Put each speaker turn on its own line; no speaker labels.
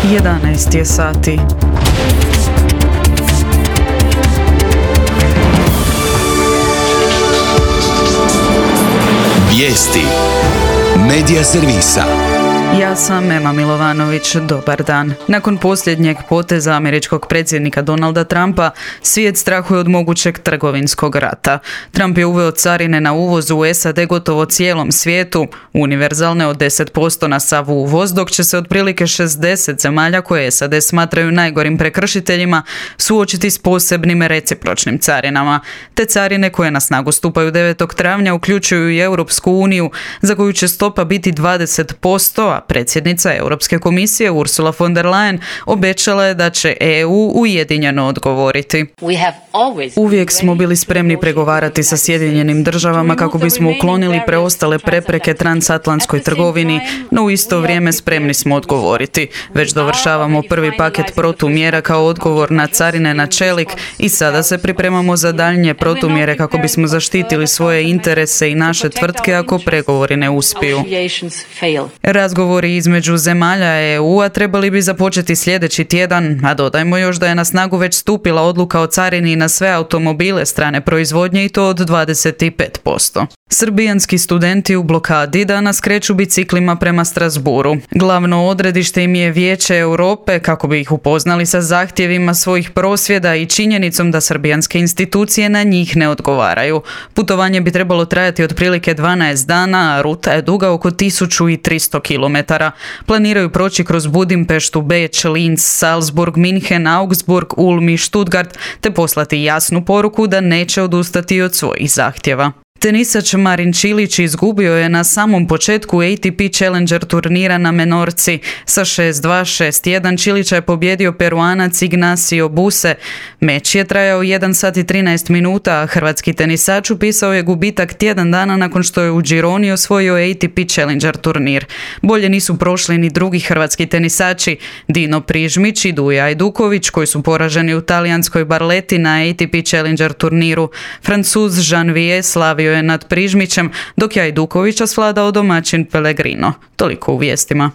11 je sati.
Vijesti Medija servisa.
Ja sam Ema Milovanović, dobar dan. Nakon posljednjeg poteza američkog predsjednika Donalda Trumpa, svijet strahuje od mogućeg trgovinskog rata. Trump je uveo carine na uvoz u SAD gotovo cijelom svijetu, univerzalne od 10% na sav uvoz, dok će se otprilike 60 zemalja koje SAD smatraju najgorim prekršiteljima suočiti s posebnim recipročnim carinama. Te carine koje na snagu stupaju 9. travnja uključuju i Europsku uniju, za koju će stopa biti 20%, a predsjednica Europske komisije Ursula von der Leyen obećala je da će EU ujedinjeno odgovoriti. Uvijek smo bili spremni pregovarati sa Sjedinjenim državama kako bismo uklonili preostale prepreke transatlantskoj trgovini, no u isto vrijeme spremni smo odgovoriti. Već dovršavamo prvi paket protumjera kao odgovor na carine na čelik i sada se pripremamo za daljnje protumjere kako bismo zaštitili svoje interese i naše tvrtke ako pregovori ne uspiju. Razgovori između zemalja EU-a trebali bi započeti sljedeći tjedan, a dodajmo još da je na snagu već stupila odluka o carini na sve automobile strane proizvodnje i to od 25%. Srbijanski studenti u blokadi danas kreću biciklima prema Strasbourgu. Glavno odredište im je Vijeće Europe kako bi ih upoznali sa zahtjevima svojih prosvjeda i činjenicom da srbijanske institucije na njih ne odgovaraju. Putovanje bi trebalo trajati otprilike 12 dana, a ruta je duga oko 1300 km. Planiraju proći kroz Budimpeštu, Beč, Linz, Salzburg, Minhen, Augsburg, Ulm i Stuttgart te poslati jasnu poruku da neće odustati od svojih zahtjeva. Tenisač Marin Čilić izgubio je na samom početku ATP Challenger turnira na Menorci. Sa 6-2, 6-1 Čilića je pobjedio Peruanac Ignacio Buse. Meč je trajao 1 sat i 13 minuta, a hrvatski tenisač upisao je gubitak tjedan dana nakon što je u Gironi osvojio ATP Challenger turnir. Bolje nisu prošli ni drugi hrvatski tenisači, Dino Prižmić i Duja Ajduković, koji su poraženi u talijanskoj Barleti na ATP Challenger turniru. Francuz Janvier slavio je nad Prižmićem, dok je Ajdukovića svladao domaćin Pellegrino. Toliko u vijestima.